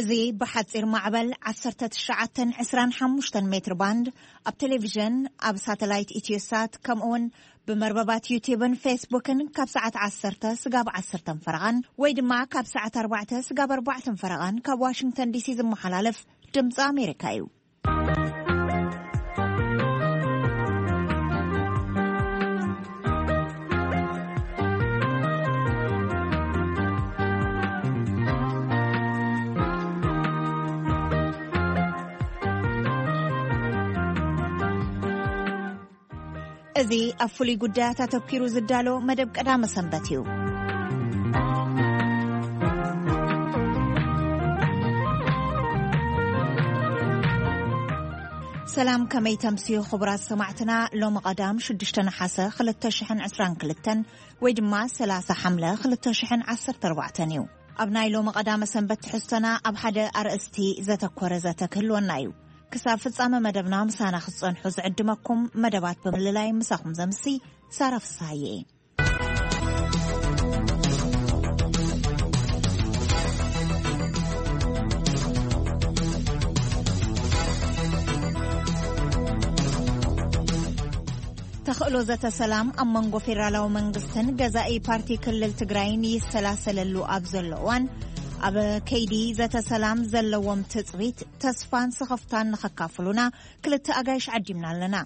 እዚ ብሓጺር ማዕበል ዓሰርተ ትሽዓተ ዕስራን ሓሙሽተን ሜትር ባንድ፣ ኣብ ቴሌቪዥን፣ ኣብ ሳተላይት ኢትዮሳት፣ ከምኡውን ብመርበባት ዩቲዩብን ፌስቡክን ካብ ሰዓት ዓሰርተ ስጋብ ዓሰርተ ፈረቓን ወይ ድማ ካብ ሰዓት ኣርባዕተ ስጋብ ኣርባዕተ ፈረቓን ካብ ዋሽንግተን ዲሲ ዝመሓላለፍ ድምፂ ኣሜሪካ እዩ። እዚ ኣብ ፍሉይ ጉዳያት ኣተኲሩ ዝዳሎ መደብ ቀዳመ ሰንበት እዩ። ሰላም፣ ከመይ ተምስዩ ክቡራት ሰማዕትና? ሎሚ ቀዳም ሽዱሽተ ነሓሰ ክልተ ሽሕን ዕስራን ክልተን ወይ ድማ ሰላሳ ሓምለ ክልተ ሽሕን ዓሰርተ ኣርባዕተን እዩ። ኣብ ናይ ሎሚ ቀዳመ ሰንበት ትሕዝቶና ኣብ ሓደ ኣርእስቲ ዘተኮረ ዘተ ክህልወና እዩ። ክሳብ ፍጻመ መደብና ምሳና ክትጸንሑ ዝዕድመኩም መደባት ብምልላይ ምሳኹም ዘምሲ ሳራ ፍስሃየ እየ። ተኽእሎ ዘተ ሰላም ኣብ መንጎ ፌደራላዊ መንግስትን ገዛኢ ፓርቲ ክልል ትግራይን ይሰላሰለሉ ኣብ ዘሎ እዋን፣ ኣብ ከይዲ ዘተ ሰላም ዘለዎም ትጽቢት፣ ተስፋን ስኽፍታን ንኸካፍሉና ክልተ ኣጋይሽ ዓዲምና ኣለና።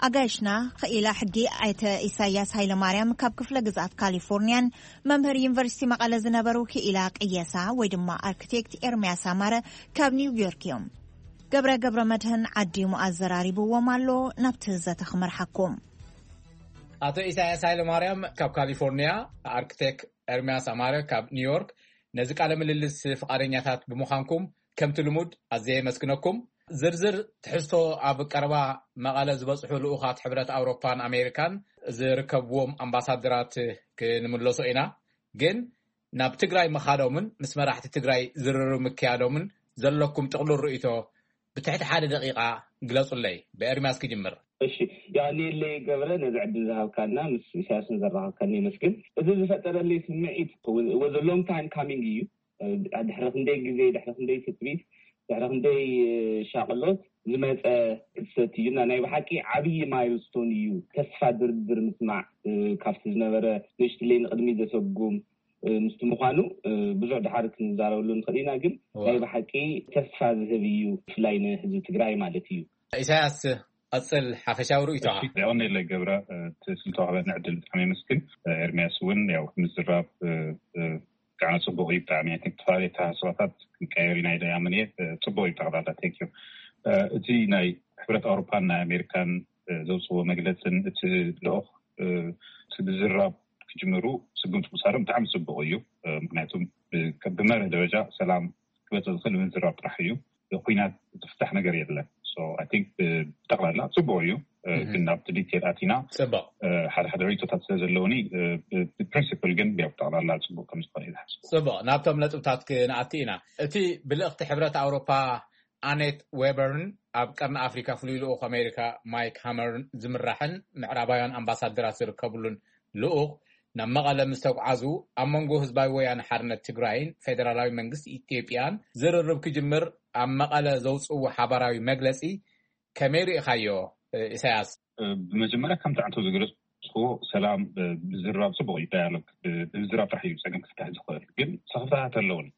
ኣጋይሽና፣ ክኢላ ሕጊ ኣይተ ኢሳያስ ሃይለማርያም ካብ ክፍለ ግዝኣት ካሊፎርኒያን መምህር ዩኒቨርሲቲ መቐለ ዝነበሩ ክኢላ ቅየሳ ወይ ድማ ኣርክቴክት ኤርምያስ ኣማረ ካብ ኒውዮርክ እዮም። ገብረ ገብረ መድህን ዓዲሙ ኣዘራሪብዎም ኣሎ። ናብቲ ዘተ ክመርሓኩም። ኣቶ ኢሳያስ ሃይለማርያም ካብ ካሊፎርኒያ፣ ኣርክቴክት ኤርምያስ ኣማረ ካብ ኒውዮርክ፣ ነዚ ቃለ ምልልስ ፍቓደኛታት ብምዃንኩም ከምቲ ልሙድ ኣዝየ የመስግነኩም። ዝርዝር ትሕዝቶ ኣብ ቀረባ መቐለ ዝበጽሑ ልኡኻት ሕብረት ኣውሮፓን ኣሜሪካን ዝርከብዎም ኣምባሳደራት ክንምለሶ ኢና። ግን ናብ ትግራይ ምኻዶምን ምስ መራሕቲ ትግራይ ዝርርብ ምክያዶምን ዘለኩም ጥቕሉል ርእይቶ ብትሕቲ ሓደ ደቂቓ ግለጹለይ። ብኤርምያስ ክጅምር። እሺ፣ ያኔለይ ገብረ፣ ነዚ ዕድል ዝሃብካና ምስ ኢሳያስን ዘራኸብካኒ የመስግን። እዚ ዝፈጠረለይ ስምዒት ወ-፣ was a long time coming እዩ። ድሕሪ ክንደይ ግዜ፣ ድሕሪ ክንደይ ትጽቢት፣ ድሕሪ ክንደይ ሻቕሎት ዝመጸ ክስተት እዩ። እና ናይ ብሓቂ ዓብዪ ማይልስቶን እዩ። ተስፋ ድርድር ምስማዕ፣ ካብቲ ዝነበረ ንእሽትለይ ንቕድሚት ዘሰጉም፣ ምስቲ ምዃኑ ብዙሕ ድሓር ክንዛረበሉ ንኽእል ኢና። ግን እዋ። ናይ ብሓቂ ተስፋ ዝህብ እዩ፣ ብፍላይ ንህዝቢ ትግራይ ማለት እዩ። ኢሳያስ፣ ቀጽል ሓፈሻዊ ርእይቶኻ። እሺ፣ የቐንየለይ ገብረ፣ እቲ ስለተዋህበኒ ዕድል ብጣዕሚ የመስግን። ኤርምያስ እውን ያው ምዝራብ፣ ብጣዕሚ ጽቡቕ እዩ። ብጣዕሚ፣ I think፣ ዝተፈላለዩ ኣተሓሳስባታት ክንቀየር ኢና ኢለ ይኣምን እየ። ጽቡቕ እዩ ጠቕላላ። Thank you። እቲ ናይ ሕብረት ኣውሮፓን ናይ ኣሜሪካን ዘውፅዎ መግለፅን እቲ ልኡኽ፣ እቲ ምዝራብ ክጅምሩ ስጉምቲ ምውሳዶም ብጣዕሚ ጽቡቕ እዩ። ምክንያቱም ብ-፣ ብመርህ ደረጃ ሰላም ክመፅእ ዝኽእል ምዝራብ ጥራሕ እዩ። ኩናት ዝፍታሕ ነገር የለን። So I think ብጠቕላላ ጽቡቕ እዩ። እህ። ግን ናብቲ ዲቴል ኣቲና፣ ጽቡቕ። ሓደ ሓደ ርእይቶታት ስለ ዘለውኒ፣ ብ-፣ ብፕሪንሲፕል ግን ያው ብጠቕላላ ጽቡቕ ከም ዝኾነ እዩ ዝሓስብ። ጽቡቕ፣ ናብቶም ነጥብታት ክንኣቲ ኢና። እቲ ብልእኽቲ ሕብረት ኣውሮፓ ኣኔት ዌበርን ኣብ ቀርኒ ኣፍሪካ ፍሉይ ልኡኽ ኣሜሪካ ማይክ ሃመርን ዝምራሕን ምዕራባውያን ኣምባሳደራት ዝርከብሉን ልኡኽ ናብ መቐለ ምስ ተጓዓዙ፣ ኣብ መንጎ ህዝባዊ ወያነ ሓርነት ትግራይን ፌደራላዊ መንግስቲ ኢትዮጵያን ዝርርብ ክጅምር ኣብ መቐለ ዘውፅዎ ሓባራዊ መግለፂ ከመይ ርኢኻዮ፣ ኢሳያስ? ብመጀመርያ ከምቲ ዓንቶ ዝገለጽክዎ ሰላም፣ ምዝራብ ጽቡቕ እዩ። ዳያሎግ፣ ብምዝራብ ጥራሕ እዩ ጸገም ክፍታሕ ዝኽእል። ግን ስኽፍታታት ኣለውኒ።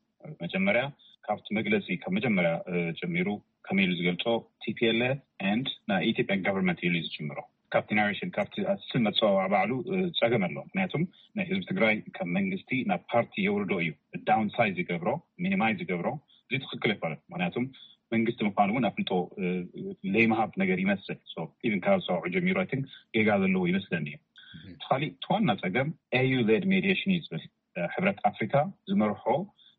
መጀመርያ ካብቲ መግለጺ፣ ካብ መጀመርያ ጀሚሩ ከመይ ኢሉ ዝገልጾ፣ ቲ ፒ ኤል ኤፍ and ናይ ኢትዮጵያን ጋቨርንመንት ኢሉ እዩ ዝጅምሮ። ካብቲ ናሬሽን፣ ካብቲ ስም መጸዋወዓ ባዕሉ ጸገም ኣሎ። ምክንያቱም ናይ ህዝቢ ትግራይ ካብ መንግስቲ ናብ ፓርቲ የውርዶ እዩ፣ ዳውን ሳይዝ ይገብሮ፣ ሚኒማይዝ ይገብሮ። እዚ ትኽክል ኣይኮነን። ምክንያቱም መንግስቲ ምዃኑ እውን ኣፍልጦ ለይምሃብ ነገር ይመስል። So ኢቭን ካብ ሰውዑ ጀሚሩ፣ I think፣ ጌጋ ዘለዎ ይመስለኒ እዩ። እቲ ካሊእ፣ እቲ ዋና ጸገም ኤ ዩ ሌድ ሜዲዬሽን እዩ ዝብል፣ ሕብረት ኣፍሪካ ዝመርሖ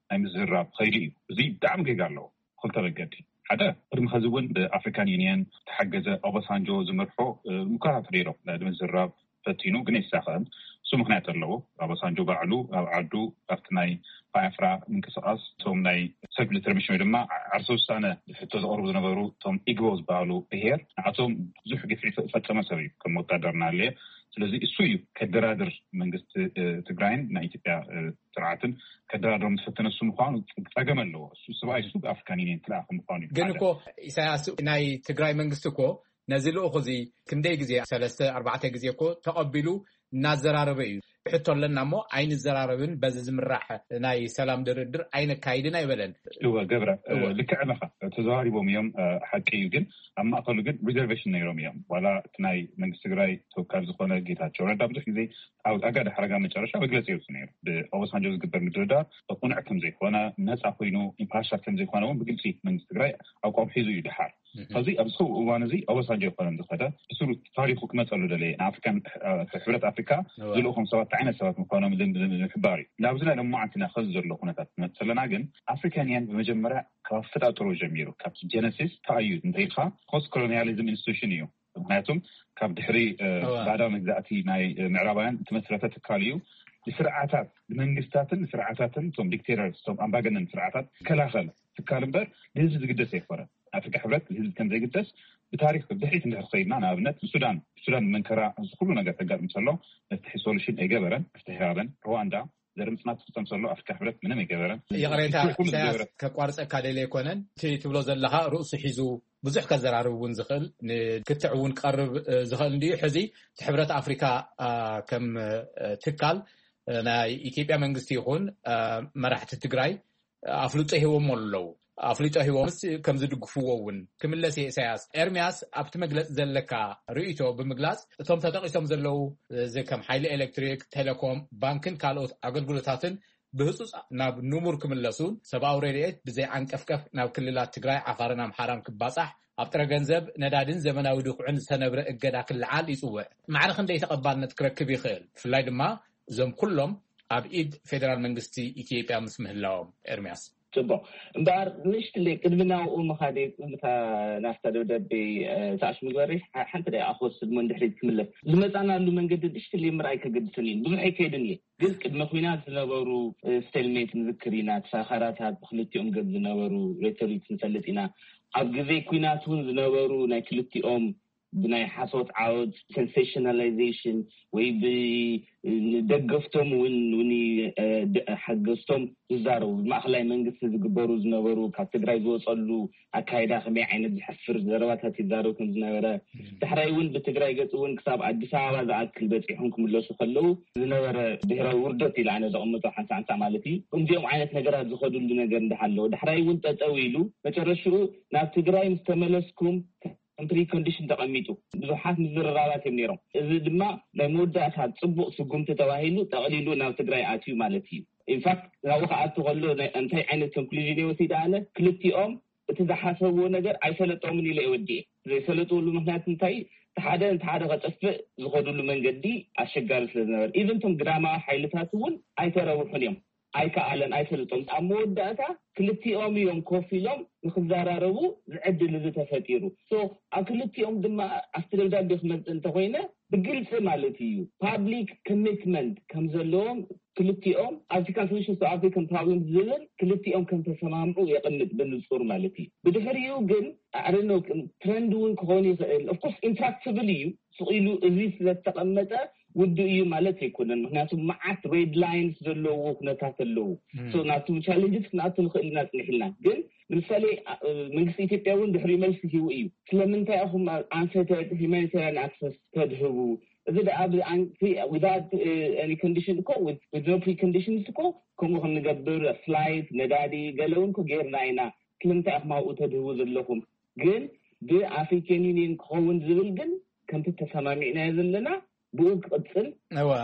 ናይ ምዝራብ ኸይዲ እዩ። እዚ ብጣዕሚ ጌጋ ኣለዎ። ክልተ መገዲ። ሓደ፣ ቅድሚ ኸዚ እውን ብኣፍሪካን ዩኒየን ተሓገዘ ኦባሳንጆ ዝመርሖ ሙከራታት ነይሮም፣ ንምዝራብ ፈቲኑ፣ ግን ኣይሳኸዐን። እሱ ምክንያት ኣለዎ። ኦባሳንጆ ባዕሉ ኣብ ዓዱ፣ ኣብቲ ናይ ባያፍራ ምንቅስቃስ፣ እቶም ናይ ሰልፍ ዲተርሚኔሽን ወይ ድማ ዓርሰ ውሳነ ሕቶ ዘቕርቡ ዝነበሩ፣ እቶም ኢግቦ ዝበሃሉ ብሄር፣ ንኣቶም ብዙሕ ግፍዒ ፈ-፣ ፈጸመ ሰብ እዩ። ከም ወታደር እናሃለየ ስለዚ እሱ እዩ ከደራድር መንግስቲ ትግራይን ናይ ኢትዮጵያ ስርዓትን ከደራድሮም ዝፈተነ እሱ ምኳኑ ጸገም ኣለዎ። እሱ ሰብኣይ እሱ ኣፍሪካን ዩኒየን ክልኣኸ ምኳኑ እዩ። ግን እኮ ኢሳያስ ናይ ትግራይ መንግስቲ እኮ ነዚ ልኡኽ እዚ ክንደይ ግዜ ሰለስተ ኣርባዕተ ግዜ እኮ ተቐቢሉ እናዘራረበ እዩ። ሕቶ ኣለና እሞ ኣይንዘራረብን በዚ ዝምራሕ ናይ ሰላም ድርድር ኣይነካይድን ኣይበለን። እወ ገብረ ልክዕ ኢኻ። ተዘራሪቦም እዮም፣ ሓቂ እዩ። ግን ኣብ ማእከሉ ግን ሪዘርቬሽን ነይሮም እዮም። ዋላ እቲ ናይ መንግስቲ ትግራይ ተወካል ዝኾነ ጌታቸው ረዳ ብዙሕ ግዜ ኣብ ኣጋደ ሓረጋ መጨረሻ መግለፂ የውፅእ ነይሩ። ብኦባሳንጆ ዝግበር ምድርዳር ቅኑዕ ከም ዘይኮነ፣ ነፃ ኮይኑ ኢምፓርሻል ከም ዘይኮነ እውን ብግልፂ መንግስቲ ትግራይ ኣቋም ሒዙ እዩ ድሓር። ሕዚ ኣብዚ ሰው እዋን እዚ ኦባሳንጆ ይኮነን ዝኸደ ብስሩ ታሪኩ ክመፀሉ ደለየ ንኣፍሪካን ሕብረት ኣፍሪካ ዝልእኹም ሰባት ዓይነት ሰባት ምኳኖም ንምሕባር እዩ። ናብዚ ናይ ለማዓንትና ከዚ ዘሎ ኩነታት ክመፅእ ዘለና ግን ኣፍሪካንያን ብመጀመርያ ካብ ኣፈጣጥሮ ጀሚሩ ካብ ጀነሲስ ተኣዩ እንተይልካ ፖስት ኮሎኒያሊዝም ኢንስቲቱሽን እዩ። ምክንያቱም ካብ ድሕሪ ባዕዳዊ መግዛእቲ ናይ ምዕራባውያን እተመስረተ ትካል እዩ። ንስርዓታት ንመንግስታትን ንስርዓታትን እቶም ዲክቴተርስ እቶም ኣምባገነን ስርዓታት ዝከላኸል ትካል እምበር ንህዝቢ ዝግደስ ኣይኮነን። ኣፍሪካ ሕብረት ንህዝቢ ከም ዘይግደስ ብታሪክ ብድሕሪት እንድሕር ከይድና ንኣብነት ብሱዳን ብሱዳን መንከራ እዚ ኩሉ ነገር ተጋጥም ዘሎ መፍትሒ ሶሉሽን ኣይገበረን። መፍትሒ ሃበን ሩዋንዳ ዘርኢ ምፅናት ትፍፀም ዘሎ ኣፍሪካ ሕብረት ምንም ኣይገበረን። ይቕሬታ ኢሳያስ ከቋርፀካ ደለ ኣይኮነን። እቲ ትብሎ ዘለካ ርእሱ ሒዙ ብዙሕ ከዘራርብ እውን ዝኽእል ንክትዕ እውን ክቐርብ ዝኽእል እንድዩ። ሕዚ እቲ ሕብረት ኣፍሪካ ከም ትካል ናይ ኢትዮጵያ መንግስቲ ይኹን መራሕቲ ትግራይ ኣፍልጦ ሂቦም ኣለዉ። ኣፍልጦ ሂቦምስ ከም ዝድግፍዎ እውን ክምለስ እየ። ኢሳያስ ኤርሚያስ ኣብቲ መግለፂ ዘለካ ርእይቶ ብምግላፅ እቶም ተጠቒሶም ዘለዉ እዚ ከም ሓይሊ ኤሌክትሪክ፣ ቴሌኮም፣ ባንክን ካልኦት ኣገልግሎታትን ብህፁፅ ናብ ንቡር ክምለሱን ሰብኣዊ ረድኤት ብዘይ ዓንቀፍቀፍ ናብ ክልላት ትግራይ፣ ዓፋርን ኣምሓራን ክባፃሕ ኣብ ጥረ ገንዘብ፣ ነዳድን ዘመናዊ ድኹዕን ዝተነብረ እገዳ ክለዓል ይፅውዕ። ማዕረ ክንደይ ተቐባልነት ክረክብ ይኽእል? ብፍላይ ድማ እዞም ኩሎም ኣብ ኢድ ፌደራል መንግስቲ ኢትዮጵያ ምስ ምህላዎም። ኤርሚያስ። ፅቡቕ እምበኣር ንእሽትለይ ቅድሚ ናብኡ ምኻደይ ቅድሚ እታ ናፍታ ደብዳቤ ተኣሽ ምግበረይ ሓንቲ ደቂቃ ክወስድ እሞ ንድሕሪት ክምለስ ዝመፃናሉ መንገዲ ንእሽትለይ ምርኣይ ከገድሰኒ እዩ ብዙሕ ኣይከይድን እየ ግን ቅድሚ ኲናት ዝነበሩ ስቴልሜት ንዝክር ኢና ተሳኻራታት ብክልቲኦም ገብ ዝነበሩ ሬቶሪክስ ንፈልጥ ኢና ኣብ ግዜ ኲናት እውን ዝነበሩ ናይ ክልቲኦም ብናይ ሓሶት ዓወት sensationalization ወይ ብደገፍቶም እውን ሓገዝቶም ዝዛረቡ ብማእኸላይ መንግስቲ ዝግበሩ ዝነበሩ ካብ ትግራይ ዝወፀሉ ኣካይዳ ከመይ ዓይነት ዝሕፍር ዘረባታት ይዛረብ ከም ዝነበረ ዳሕራይ እውን ብትግራይ ገፅ እውን ክሳብ ኣዲስ ኣበባ ዝኣክል በፂሖም ክምለሱ ከለዉ ዝነበረ ብሄራዊ ውርደት ኢለ ኣነ ዘቐምጦ ሓንሳእ ሓንሳእ ማለት እዩ። ከምዚኦም ዓይነት ነገራት ዝኸድሉ ነገር እንዳሃለወ ዳሕራይ እውን ጠጠው ኢሉ መጨረሽኡ ናብ ትግራይ ምስ ተመለስኩም ከም ፕሪኮንዲሽን ተቐሚጡ ብዙሓት ምዝርራባት እዮም ነይሮም። እዚ ድማ ናይ መወዳእታ ፅቡቕ ስጉምቲ ተባሂሉ ጠቕሊሉ ናብ ትግራይ ኣትዩ ማለት እዩ። ኢንፋክት ናብኡ ክኣቱ ከሎ እንታይ ዓይነት ኮንክሉዥን እየ ወሲደ ኣነ ክልቲኦም እቲ ዝሓሰብዎ ነገር ኣይሰለጦምን ኢለ እየ ወዲኤ። ዘይሰለጥሉ ምክንያት እንታይ እቲ ሓደ ነቲ ሓደ ከጥፍእ ዝኸድሉ መንገዲ ኣሸጋሪ ስለ ዝነበረ ኢቨን እቶም ግዳማዊ ሓይልታት እውን ኣይተረብሑን እዮም። ኣይከኣለን ኣይሰልጦም ኣብ መወዳእታ ክልቲኦም እዮም ኮፍ ኢሎም ንክዘራረቡ ዝዕድል እዚ ተፈጢሩ so ኣብ ክልቲኦም ድማ ኣብቲ ደብዳቤ ክመፅእ እንተኮይነ ብግልፂ ማለት እዩ public commitment ከም ዘለዎም ክልቲኦም ኣብቲ contribution to African problem ዝብል ክልቲኦም ከም ተሰማምዑ የቕምጥ ብንፁር ማለት እዩ ብድሕሪኡ ግን ኣረኖ ትረንድ እውን ክኾን ይኽእል of course ኢንትራክትብል እዩ ስቕ ኢሉ እዚ ስለዝተቐመጠ ውዱእ እዩ ማለት ኣይኮነን ምክንያቱ መዓት ሬድ ላይንስ ዘለዎ ኩነታት ኣለዉ ናብቲ ቻለንጅስ ክንኣቱ ንኽእል ኢና ፅንሕ ኢልና ግን ንምሳሌ መንግስቲ ኢትዮጵያ እውን ድሕሪ መልሲ ሂቡ እዩ ስለምንታይ ኢኹም ኣንፈተድ ሂማኒታሪያን ኣክሰስ ተድህቡ እዚ ደኣ ብኣንቲ without any condition እኮ with no preconditions እኮ ከምኡ ክንገብር ፍላይት ነዳዲ ገለ እውን እኮ ጌርና ኢና ስለምንታይ ኢኹም ኣብኡ ተድህቡ ዘለኹም ግን ብኣፍሪካን ዩኒየን ክኸውን ዝብል ግን ከምቲ ተሰማሚዕናዮ ዘለና ብኡ ክቕፅል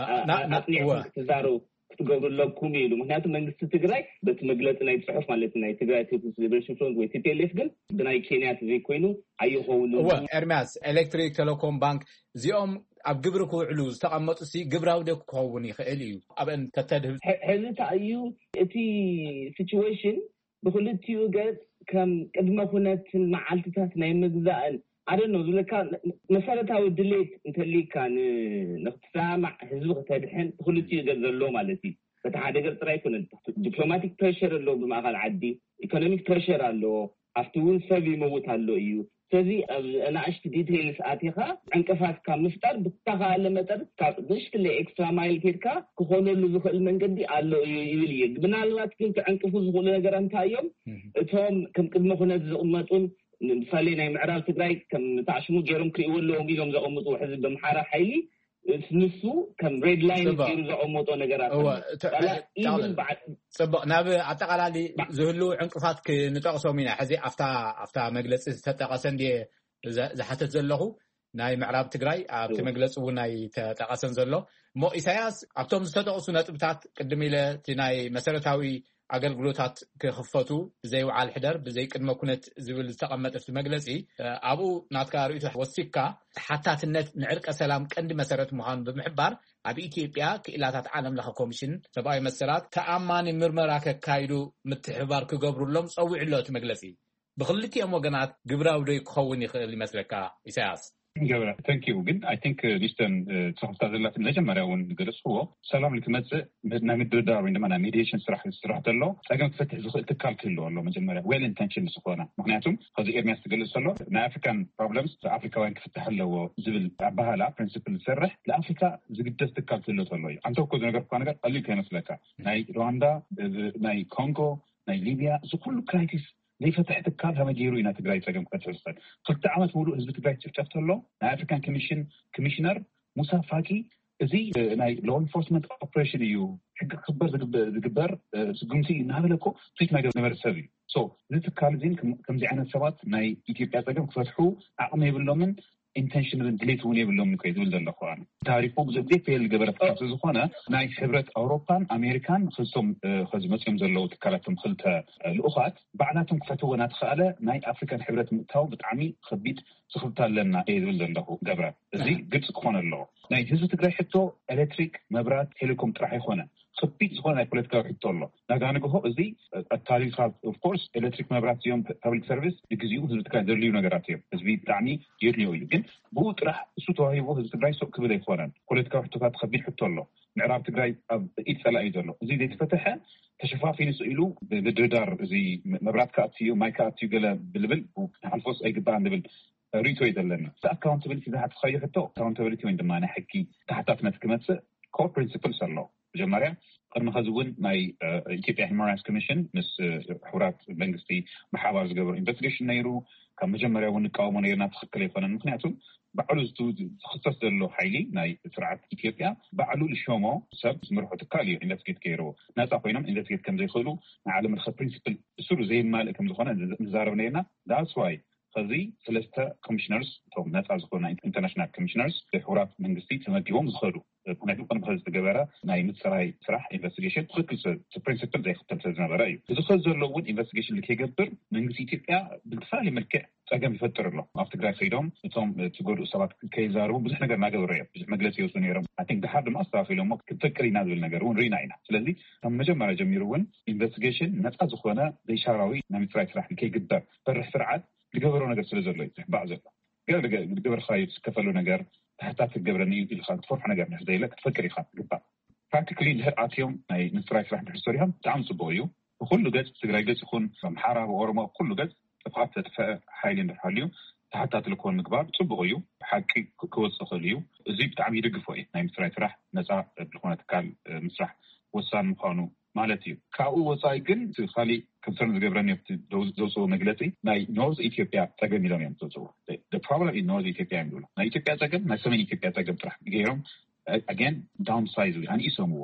ኣፅኒዕኩም ክትዛረቡ ክትገብሩ ኣለኩም ኢሉ ምክንያቱ መንግስቲ ትግራይ በቲ መግለፂ ናይ ፅሑፍ ማለት ናይ ትግራይ ፒፕልስ ሊበሬሽን ፍሮንት ወይ ቲፒኤልኤፍ ግን ብናይ ኬንያ ተዘይኮይኑ ኣይኸውን እወ ኤርሚያስ ኤሌክትሪክ ቴሌኮም ባንክ እዚኦም ኣብ ግብሪ ክውዕሉ ዝተቐመጡ ሲ ግብራዊ ዶ ክኸውን ይኽእል እዩ ኣብአን ተተድህብ ሕዚ ተኣዩ እቲ ሲቹዌሽን ብክልቲኡ ገፅ ከም ቅድመ ኩነትን መዓልትታት ናይ ምግዛእን ኣደኖ ዝብለካ መሰረታዊ ድሌት እንተሊካ ንክትሰማማዕ ህዝቢ ክተድሕን ብክልቲኡ ገፅ ዘሎ ማለት እዩ በቲ ሓደ ገፅ ጥራይ ኣይኮነን ዲፕሎማቲክ ፕሬሽር ኣለዎ ብማእኸል ዓዲ ኢኮኖሚክ ፕሬሽር ኣለዎ ኣብቲ እውን ሰብ ይመውት ኣሎ እዩ ስለዚ ኣብ ኣናእሽቲ ዲቴይልስ ኣቲኻ ዕንቅፋት ካብ ምፍጣር ብተኻእለ መጠን ካብ ንእሽትለይ ኤክስትራ ማይል ኬድካ ክኾነሉ ዝኽእል መንገዲ ኣሎ እዩ ይብል እየ። ምናልባት ግን ክዕንቅፉ ዝኽእሉ ነገር እንታይ እዮም? እቶም ከም ቅድመ ኩነት ዝቕመጡን ንሳሌ ናይ ምዕራብ ትግራይ ከም ታዕሽሙ ገይሮም ክርእይዎ ኣለዎም ኢሎም ዘቐምጡ ሕዚ ብምሓራ ሓይሊ ንሱ ከም ሬድ ላይን ገይሩ ዘቐመጦ ነገራት ኣሎ። ጽቡቕ፣ ናብ ኣጠቓላሊ ዝህሉ ዕንቅፋት ክንጠቕሶም ኢና። ሕዚ ኣብታ መግለፂ ዝተጠቐሰ እንድየ ዝሓተት ዘለኹ። ናይ ምዕራብ ትግራይ ኣብቲ መግለፂ እውን ኣይተጠቐሰን ዘሎ። እሞ ኢሳያስ ኣብቶም ዝተጠቕሱ ነጥብታት ቅድም ኢለ እቲ ናይ መሰረታዊ ኣገልግሎታት ክኽፈቱ ብዘይ ውዓል ሕደር ብዘይ ቅድመ ኩነት ዝብል ዝተቐመጠ ኣብቲ መግለፂ፣ ኣብኡ ናትካ ርእይቶ ወሲካ ተሓታትነት ንዕርቀ ሰላም ቀንዲ መሰረት ምዃኑ ብምሕባር፣ ኣብ ኢትዮጵያ ክኢላታት ዓለም ለኸ ኮሚሽን ሰብኣዊ መሰላት ተኣማኒ ምርመራ ከካይዱ ምትሕብባር ክገብሩሎም ጸዊዑ ኣሎ እቲ መግለጺ። ብክልቲኦም ወገናት ግብራዊ ዶ ክኸውን ይኽእል ይመስለካ ኢሳያስ? ገብረ፣ thank you። ግን I think ሚስተን ትረኽብታ ዘላት መጀመርያ እውን ገለጽዎ፣ ሰላም ንክመጽእ ናይ ምድርዳር ወይ ድማ ናይ ሜዲሽን ስራሕ ዝስራሕ ተሎ ጸገም ክፈትሕ ዝኽእል ትካል ክህልዎ ኣሎ። መጀመርያ well intention ዝኾነ፣ ምክንያቱም ከዚ ኤርሚያስ ትገልጽ ዘሎ ናይ ኣፍሪካን problems ኣፍሪካውያን ክፍትሕ ኣለዎ ዝብል ኣባህላ ፕሪንስፕል ዝሰርሕ ንኣፍሪካ ዝግደስ ትካል ክህልዎ ተሎ እዩ። ኣንተ እኮ ዝነገርኩካ ነገር ቀሊል ከይመስለካ፣ ናይ ሩዋንዳ፣ ናይ ኮንጎ፣ ናይ ሊብያ፣ እዚ ኩሉ ክራይሲስ ዘይፈትሕ ትካል ከመይ ገይሩ ኢና ትግራይ ጸገም ክፈትሕ ዝኽእል? ክልተ ዓመት ሙሉእ ህዝቢ ትግራይ ጭፍጨፍ ተሎ ናይ ኣፍሪካን ኮሚሽን ኮሚሽነር ሙሳ ፋኪ፣ እዚ ናይ law enforcement operation እዩ፣ ሕጊ ክኽበር ዝግበር ስጉምቲ እዩ እናበለ እኮ ትዊት ናይ ዝነበረ ሰብ እዩ። So እዚ ትካል እዚ ከምዚ ዓይነት ሰባት ናይ ኢትዮጵያ ጸገም ክፈትሑ ዓቕሚ የብሎምን፣ ኢንቴንሽን ድሌት እውን የብሎም እኮ ዝብል ዘለኹ ኣነ። ታሪኩ ብዙ ግዜ ፌል ዝገበረ ትካል ዝኾነ ናይ ሕብረት ኣውሮፓን ኣሜሪካን ክልቶም ከዚ መፅኦም ዘለዉ ትካላቶም ክልተ ልኡኻት ባዕላቶም ክፈትዎ እናተኸኣለ ናይ ኣፍሪካን ሕብረት ምእታው ብጣዕሚ ከቢድ ስኽፍታ ኣለና እየ ዝብል ዘለኹ ገብረ። እዚ ግልፂ ክኾነ ኣለዎ። ናይ ህዝቢ ትግራይ ሕቶ ኤሌክትሪክ፣ መብራት፣ ቴሌኮም ጥራሕ ኣይኮነ። ከቢድ ዝኾነ ናይ ፖለቲካዊ ሕቶ ኣሎ። ናጋ ንግሆ እዚ ኣታሊካ of course ኤሌክትሪክ፣ መብራት እዚኦም ፐብሊክ ሰርቪስ ንግዚኡ ህዝቢ ትግራይ ዘድልዩ ነገራት እዮም። ህዝቢ ብጣዕሚ የድልዮ እዩ። ግን ብኡ ጥራሕ እሱ ተዋሂቡ ህዝቢ ትግራይ ሱቕ ክብል ኣይኮነን። ፖለቲካዊ ሕቶታት ከቢድ ሕቶ ኣሎ። ምዕራብ ትግራይ ኣብ ኢድ ፀላኢ እዩ ዘሎ። እዚ ዘይተፈተሐ ተሸፋፊኑ ስኢሉ ብምድርዳር እዚ መብራት ክኣቱ እዩ፣ ማይ ክኣቱ እዩ ገለ ብልብል ንሓልፎስ ኣይግባእን ዝብል ርእይቶ እዩ ዘለኒ። እቲ ኣካውንታብሊቲ ዝሓተትካዮ ሕቶ ኣካውንታብሊቲ ወይ ድማ ናይ ሕጊ ተሓታትነት ክመፅእ ኮር ፕሪንስፕልስ ኣሎ። መጀመርያ ቅድሚ ከዚ እውን ናይ ኢትዮጵያ ሂማን ራይትስ ኮሚሽን ምስ ሕቡራት መንግስቲ ብሓባር ዝገበሩ ኢንቨስቲጌሽን ነይሩ። ካብ መጀመርያ እውን ንቃወሞ ነይርና፣ ትኽክል ኣይኮነን። ምክንያቱ ባዕሉ ዝኽሰስ ዘሎ ሓይሊ ናይ ስርዓት ኢትዮጵያ ባዕሉ ዝሸሞ ሰብ ዝምርሖ ትካል እዩ ኢንቨስቲጌት ገይርዎ። ናፃ ኮይኖም ኢንቨስቲጌት ከምዘይኽእሉ ናይ ዓለም ለኸ ፕሪንስፕል እሱሩ ዘይማልእ ከምዝኾነ ንዛረብ ነይርና። ዳትስ ዋይ ከዚ ሰለስተ ኮሚሽነርስ እቶም ነፃ ዝኾኑ ኢንተርናሽናል ኮሚሽነርስ ብሕቡራት መንግስቲ ተመዲቦም ዝኸዱ። ምክንያቱ ቅድሚ ከዚ ዝተገበረ ናይ ምፅራይ ስራሕ ኢንቨስቲጌሽን ትኽክል ፕሪንስፕል ዘይክተል ስለዝነበረ እዩ። እዚ ከዚ ዘሎ እውን ኢንቨስቲጌሽን ከይገብር መንግስቲ ኢትዮጵያ ብዝተፈላለየ መልክዕ ፀገም ይፈጥር ኣሎ። ኣብ ትግራይ ከይዶም እቶም ዝጎድኡ ሰባት ከይዛረቡ ብዙሕ ነገር እናገበሩ እዮም። ብዙሕ መግለፂ ይወፁ ነይሮም። ኣይ ቲንክ ድሓር ድማ ኣስተካኪሎሞ ክንፈቅር ኢና ዝብል ነገር እውን ርኢና ኢና። ስለዚ ካብ መጀመርያ ጀሚሩ እውን ኢንቨስቲጌሽን ነፃ ዝኾነ ዘይሻራዊ ናይ ምፅራይ ስራሕ ከይግበር ፈርሕ ስርዓት ዝገበሮ ነገር ስለ ዘሎ እዩ ዝሕባእ ዘሎ። ገለ ዝገበርካዮ ዝከፈሉ ነገር ተሓታት ክገብረኒ እዩ ኢልካ ትፈርሖ ነገር እንድሕር ዘየለ ክትፈቅር ኢኻ ትግባእ። ፕራክቲካሊ እንድሕር ኣትዮም ናይ ምፅራይ ስራሕ እንድሕር ሰሪሖም ብጣዕሚ ፅቡቅ እዩ። ብኩሉ ገፅ ትግራይ ገፅ ይኹን ኣምሓራ ብኦሮሞ ኩሉ ገፅ ጥፍኣት ዘጥፈአ ሓይሊ እንድሕር ሃልዩ ተሓታትሊ ክኾን ምግባር ፅቡቅ እዩ። ሓቂ ክወፅእ ይኽእል እዩ። እዚ ብጣዕሚ ይድግፎ እዩ። ናይ ምፅራይ ስራሕ ነፃ ዝኾነ ትካል ምስራሕ ወሳኒ ምዃኑ ማለት እዩ። ካብኡ ወፃኢ ግን እቲ ካሊእ ኮንሰርን ዝገብረኒ ኣብቲ ዘውፅኦ መግለፂ ናይ ኖርዝ ኢትዮጵያ ፀገም ኢሎም እዮም ዘውፅዎ። ፕሮብለም ኢን ኖርዝ ኢትዮጵያ እዮም ዝብሉ። ናይ ኢትዮጵያ ፀገም ናይ ሰሜን ኢትዮጵያ ፀገም ጥራሕ ገይሮም ኣገን ዳውን ሳይዝ ኣንኢሶምዎ።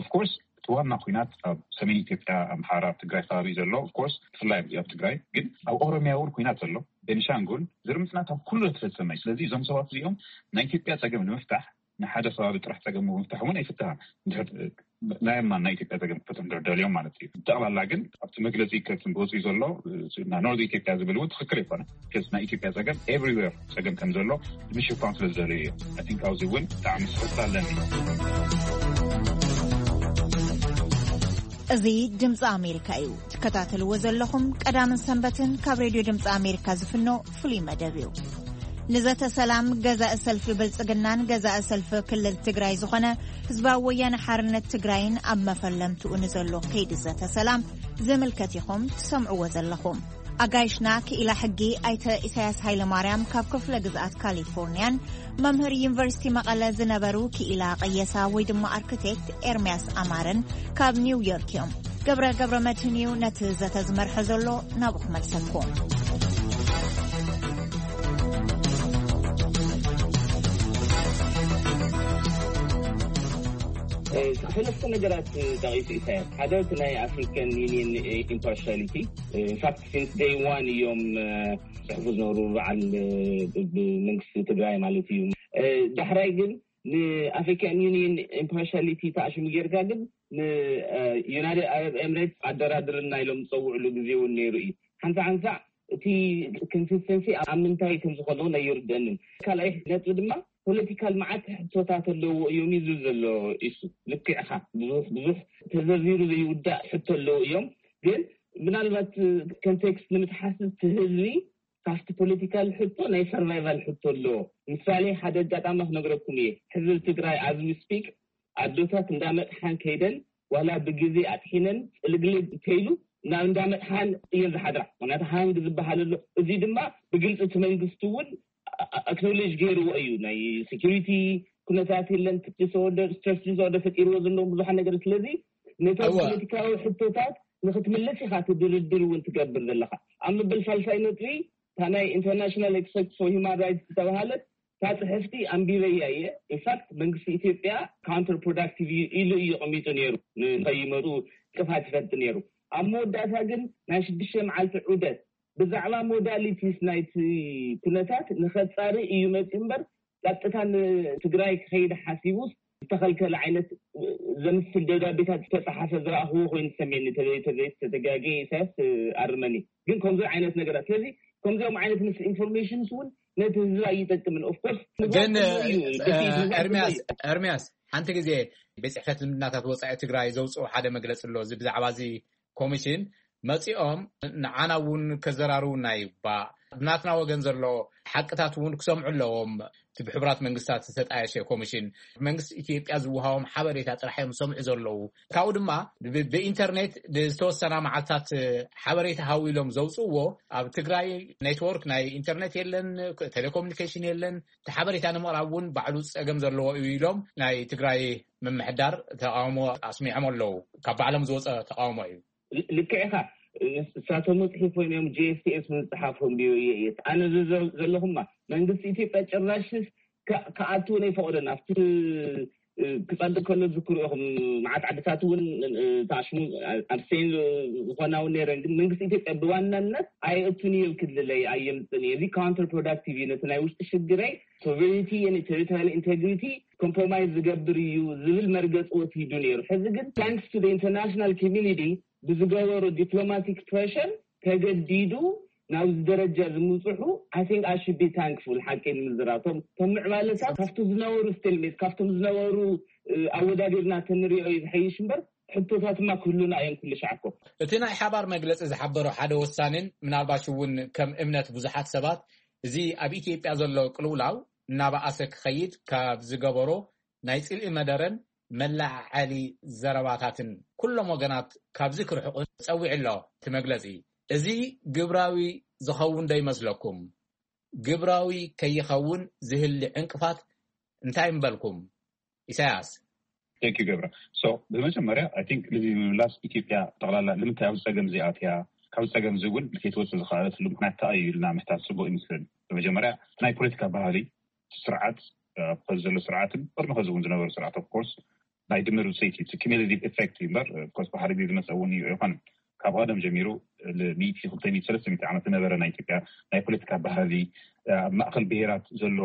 ኦፍኮርስ እቲ ዋና ኩናት ኣብ ሰሜን ኢትዮጵያ ኣምሓራ ኣብ ትግራይ ከባቢ ዘሎ ኦፍኮርስ ብፍላይ ኣብ ትግራይ ግን ኣብ ኦሮሚያ እውን ኩናት ዘሎ ቤኒሻንጉል ዝርምፅናት ኣብ ኩሉ ተፈፀመ እዩ። ስለዚ እዞም ሰባት እዚኦም ናይ ኢትዮጵያ ፀገም ንምፍታሕ ንሓደ ከባቢ ጥራሕ ፀገም ምፍታሕ እውን ኣይፍትሃን። ናይ ማን ናይ ኢትዮጵያ ፀገም ክፈትሑ እንድሕር ደልዮም ማለት እዩ። ብጠቕላላ ግን ኣብቲ መግለፂ ከፅን ወፂኡ ዘሎ ኖርዝ ኢትዮጵያ ዝብል እውን ትኽክል ኣይኮነ። ናይ ኢትዮጵያ ፀገም ኤቭሪዌር ፀገም ከም ዘሎ ንምሽፋን ስለ ዝደለዩ እዮም። ኣይ ቲንክ ኣብዚ እውን ብጣዕሚ ስሕፍታ ኣለኒ። እዚ ድምፂ ኣሜሪካ እዩ። ትከታተልዎ ዘለኹም ቀዳምን ሰንበትን ካብ ሬድዮ ድምፂ ኣሜሪካ ዝፍኖ ፍሉይ መደብ እዩ። ንዘተ ሰላም ገዛኢ ሰልፊ ብልጽግናን ገዛኢ ሰልፊ ክልል ትግራይ ዝኾነ ህዝባዊ ወያነ ሓርነት ትግራይን ኣብ መፈለምትኡ ንዘሎ ከይዲ ዘተ ሰላም ዝምልከት ኢኹም ትሰምዕዎ ዘለኹም። ኣጋይሽና ክኢላ ሕጊ ኣይተ ኢሳያስ ሃይለማርያም ካብ ክፍለ ግዝኣት ካሊፎርኒያን መምህር ዩኒቨርሲቲ መቐለ ዝነበሩ ክኢላ ቀየሳ ወይ ድማ ኣርክቴክት ኤርሚያስ ኣማረን ካብ ኒውዮርክ እዮም። ገብረ ገብረ መድህን እዩ ነቲ ዘተ ዝመርሐ ዘሎ። ናብኡ ክመልሰኩም። ሰለስተ ነገራት ጠቒሱ ኢሳያስ። ሓደ እቲ ናይ ኣፍሪካን ዩኒየን ኢምፓርሻሊቲ። ኢንፋክት ሲንስ ደይ ዋን እዮም ጽሕፉ ዝነበሩ በዓል ብመንግስቲ ትግራይ ማለት እዩ። ዳሕራይ ግን ንኣፍሪካን ዩኒየን ኢምፓርሻሊቲ ተኣሽሙ ጌርካ ግን ንዩናይትድ ኣረብ ኤምሬትስ ኣደራድርና ኢሎም ዝፀውዕሉ ግዜ እውን ነይሩ እዩ። ሓንሳእ ሓንሳእ እቲ ኮንሲስተንሲ ኣብ ምንታይ ከም ዝኾነ እውን ኣይርደንን። ካልኣይ ነጥቢ ድማ ፖለቲካል መዓት ሕቶታት ኣለዎ እዮም እዩ ዝብል ዘሎ። ኢሱ ልክዕኻ፣ ብዙሕ ብዙሕ ተዘርዚሩ ዘይውዳእ ሕቶ ኣለዎ እዮም። ግን ምናልባት ኮንቴክስት ንምትሓስ እቲ ህዝቢ ካብቲ ፖለቲካል ሕቶ ናይ ሰርቫይቫል ሕቶ ኣለዎ። ምሳሌ ሓደ ኣጋጣሚ ክነግረኩም እየ። ሕዝብ ትግራይ ኣዝ ዊ ስፒክ ኣዶታት እንዳመጥሓን ከይደን ዋላ ብግዜ ኣጥሒነን ፅልግልግ ከይሉ ናብ እንዳመጥሓን እየን ዝሓድራ። ምክንያቱ ሃንግ ዝበሃል ኣሎ። እዚ ድማ ብግልፂ እቲ መንግስቲ እውን ኣክኖሌጅ ገይርዎ እዩ። ናይ ሴኪሪቲ ኩነታት የለን፣ ዲስኦርደር፣ ስትረስ ዲስኦርደር ፈጢርዎ ዘለዎም ብዙሓት ነገር። ስለዚ ነቶም ፖለቲካዊ ሕቶታት ንክትምልስ ኢካ እቲ ድርድር እውን ትገብር ዘለካ። ኣብ ምብል ሳልሳይ ነጥቢ እታ ናይ ኢንተርናሽናል ኤክስፐርት ፎር ሂማን ራይትስ ዝተባሃለት እታ ፅሕፍቲ ኣንቢበያ እየ። ኢንፋክት መንግስቲ ኢትዮጵያ ካውንተር ፕሮዳክቲቭ እዩ ኢሉ እዩ ቀሚጡ ነይሩ። ንከይመፁ ጥፋት ይፈጥ ነይሩ። ኣብ መወዳእታ ግን ናይ ሽዱሽተ መዓልቲ ዑደት ብዛዕባ ሞዳሊቲስ ናይቲ ኩነታት ንኸፃሪ እዩ መፂኡ እምበር ቀጥታ ንትግራይ ክኸይድ ሓሲቡ ዝተኸልከለ ዓይነት ዘምስል ደብዳቤታት ዝተፀሓፈ ዝረኣኽዎ ኮይኑ ዝሰሜኒ ተዘይተዘይተተጋጌ ኢሳያስ ኣርመኒ። ግን ከምዚ ዓይነት ነገራት ስለዚ ከምዚኦም ዓይነት ምስ ኢንፎርሜሽንስ እውን ነቲ ህዝቢ ኣይጠቅምን። ኦፍኮርስ ግን ኤርሚያስ ኤርሚያስ ሓንቲ ግዜ ቤት ፅሕፈት ዝምድናታት ወፃኢ ትግራይ ዘውፅኦ ሓደ መግለፂ ኣሎ። እዚ ብዛዕባ እዚ ኮሚሽን መፂኦም ንዓና እውን ከዘራርቡና ይግባእ። ብናትና ወገን ዘሎ ሓቅታት እውን ክሰምዑ ኣለዎም። እቲ ብሕቡራት መንግስታት ዝተጣየሸ ኮሚሽን መንግስቲ ኢትዮጵያ ዝወሃቦም ሓበሬታ ጥራሕ እዮም ዝሰምዑ ዘለዉ። ካብኡ ድማ ብኢንተርኔት ዝተወሰና መዓልታት ሓበሬታ ሃው ኢሎም ዘውፅእዎ ኣብ ትግራይ ኔትወርክ ናይ ኢንተርኔት የለን፣ ቴሌኮሙኒኬሽን የለን። እቲ ሓበሬታ ንምቕራብ እውን ባዕሉ ፀገም ዘለዎ እዩ ኢሎም ናይ ትግራይ ምምሕዳር ተቃውሞ ኣስሚዖም ኣለዉ። ካብ ባዕሎም ዝወፀ ተቃውሞ እዩ። ልክዕኻ። እሳቶም መፅሒፎም እዮም ጂኤስቲኤስ ምፅሓፎም ቢዮ እየ። ኣነ ዘለኹማ መንግስቲ ኢትዮጵያ ጭራሽስ ክኣትውን ኣይፈቐደን። ኣብቲ ክፀድቅ ከሎ ዝክሩ ኢኹም። መዓት ዓድታት እውን ተኣሽሙ ኣብሰይን ዝኾና እውን ነይረን። ግን መንግስቲ ኢትዮጵያ ብዋናነት ኣይእቱን እዩ ክልለይ ኣየምፅን እዩ። እዚ ካውንተር ፕሮዳክቲቭ እዩ። ነቲ ናይ ውሽጢ ሽግረይ ሶቨሬኒቲ ቴሪቶሪያል ኢንቴግሪቲ ኮምፕሮማይዝ ዝገብር እዩ ዝብል መርገፂ ወሲዱ ነይሩ። ሕዚ ግን ታንክስ ቱ ኢንተርናሽናል ኮሚኒቲ ብዝገበሮ ዲፕሎማቲክ ፕሬሽር ተገዲዱ ናብዚ ደረጃ ዝምፅሑ I think I should be thankful። ሓቂ ንምዝራብ ቶም ምዕባለታት ካብቲ ዝነበሩ ስቴልሜት ካብቶም ዝነበሩ ኣወዳዲርና ተንሪኦ እዩ ዝሐይሽ እምበር ሕቶታት ድማ ክህሉና እዮም ኩሉ ሻዕኮ። እቲ ናይ ሓባር መግለፂ ዝሓበሮ ሓደ ወሳንን ምናልባሽ እውን ከም እምነት ብዙሓት ሰባት እዚ ኣብ ኢትዮጵያ ዘሎ ቅልውላው እናበኣሰ ክኸይድ ካብ ዝገበሮ ናይ ፅልኢ መደረን መለዓዓሊ ዘረባታትን ኩሎም ወገናት ካብዚ ክርሕቁ ፀዊዑ ኣሎ እቲ መግለፂ። እዚ ግብራዊ ዝኸውን ዶ ይመስለኩም? ግብራዊ ከይኸውን ዝህሊ ዕንቅፋት እንታይ ምበልኩም? ኢሳያስ። Thank you ገብረ። So ብመጀመርያ I think ልዚ ምምላስ ኢትዮጵያ ጠቕላላ ንምንታይ ኣብ ፀገም እዚኣትያ ካብ ፀገም እዚ እውን ከይትወፅእ ዝኽኣለትሉ ምክንያት እንታይ እዩ ኢልና ምሕታት ፅቡቅ ይመስለኒ። ብመጀመርያ ናይ ፖለቲካ ባህሊ ስርዓት ከዚ ዘሎ ስርዓትን ቅድሚ ከዚ እውን ዝነበሩ ስርዓት of course ናይ ድምር ውፅኢት እዩ። Cumulative effect እዩ እምበር of course ብሓደ ግዜ ዝመፀ እውን እዩ ኣይኮነን። ካብ ቀደም ጀሚሩ ሚእቲ ክልተ ሚእቲ ሰለስተ ሚእቲ ዓመት ዝነበረ ናይ ኢትዮጵያ ናይ ፖለቲካ ባህሊ ኣብ ማእከል ብሄራት ዘሎ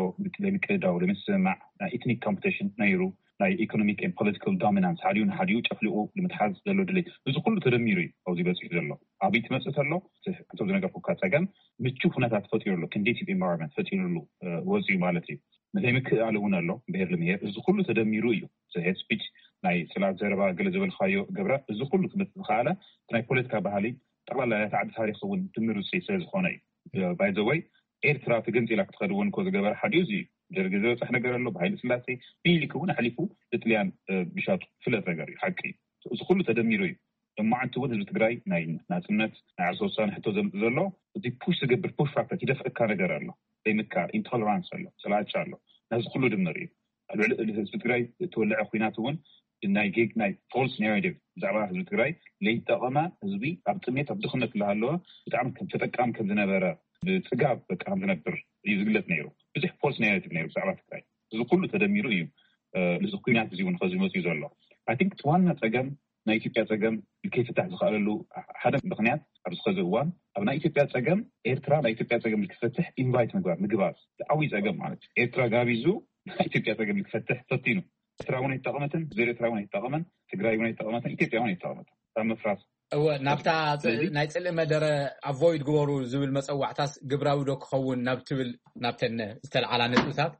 ለምቅድዳው ለምስምማዕ ናይ ኢትኒክ ኮምፒቲሽን ነይሩ። ናይ ኢኮኖሚክ ን ፖለቲካል ዶሚናንስ ሓዲኡ ንሓዲኡ ጨፍሊቑ ንምትሓዝ ዘሎ ድሌት እዚ ኩሉ ተደሚሩ እዩ ኣብዚ በፂሑ ዘሎ። ኣብይ ትመፅእ ተሎ እቶም ዝነገርኩካ ፀገም ምቹ ኩነታት ፈጢሩ ኣሎ። ኮንዲሲቭ ኢንቫይሮንመንት ፈጢሩሉ ወፂኡ ማለት እዩ። ምክእኣል እውን ኣሎ ብሄር ልምሄር እዚ ኩሉ ተደሚሩ እዩ። ሄት ስፒች ናይ ፅላት ዘረባ ገለ ዝበልካዮ ገብረ እዚ ኩሉ ክመፅእ ዝኸኣለ ናይ ፖለቲካ ባህሊ ጠቕላላ ናይታ ዓዲ ታሪክ እውን ድምር ውፅኢት ስለዝኾነ እዩ። ባይዘወይ ኤርትራ ተገንፂላ ክትኸድ እውን እኮ ዝገበረ ሓዲኡ እዚ እዩ። ደርጊ ዝበፀሕ ነገር ኣሎ ብሃይለ ስላሴ ሚኒሊክ እውን ኣሕሊፉ ንጥልያን ምሻጡ ፍለጥ ነገር እዩ ሓቂ እዩ። እዚ ኩሉ ተደሚሩ እዩ። ሎማዓንቲ እውን ህዝቢ ትግራይ ናይ ናፅነት ናይ ዓርሰ ውሳነ ሕቶ ዘምፅእ ዘሎ እዚ ፑሽ ዝገብር ፑሽ ፋክተር ዝደፍእካ ነገር ኣሎ። ዘይምካ ኢንቶለራንስ ኣሎ፣ ጽላቻ ኣሎ። ናዚ ኩሉ ድምር እዩ ኣብ ልዕሊ ህዝቢ ትግራይ እተወለዐ ኩናት እውን ናይ ጌግ ናይ ፎልስ ናሬቲቭ ብዛዕባ ህዝቢ ትግራይ ለይጠቐመ ህዝቢ ኣብ ጥሜት ኣብ ድኽነት እናሃለወ ብጣዕሚ ከም ተጠቃሚ ከም ዝነበረ ብፅጋብ በቃ ከም ዝነብር እዩ ዝግለፅ ነይሩ። ብዙሕ ፎልስ ናሬቲቭ ነይሩ ብዛዕባ ትግራይ። እዚ ኩሉ ተደሚሩ እዩ እዚ ኩናት እዚ እውን ከዚ መፅኡ ዘሎ። ኣይ ቲንክ ዋና ፀገም ናይ ኢትዮጵያ ፀገም ከይፍታሕ ዝኽኣለሉ ሓደ ምክንያት ኣብዚ ኸዚ እዋን ኣብ ናይ ኢትዮጵያ ፀገም ኤርትራ ናይ ኢትዮጵያ ፀገም ክፈትሕ ኢንቫይት ምግባር ምግባር ዓብዪ ፀገም ማለት እዩ። ኤርትራ ጋቢዙ ናይ ኢትዮጵያ ፀገም ክፈትሕ ፈቲኑ። ኤርትራ እውን ኣይተጠቐመትን፣ ዘር ኤርትራ እውን ኣይተጠቐመን፣ ትግራይ እውን ኣይተጠቐመትን፣ ኢትዮጵያ እውን ኣይተጠቐመትን። ካብ ምፍራስ እወ ናብታ ናይ ፅልኢ መደረ ኣቮይድ ግበሩ ዝብል መፀዋዕታስ ግብራዊ ዶ ክኸውን ናብ ትብል ናብተን ዝተለዓላ ነጥብታት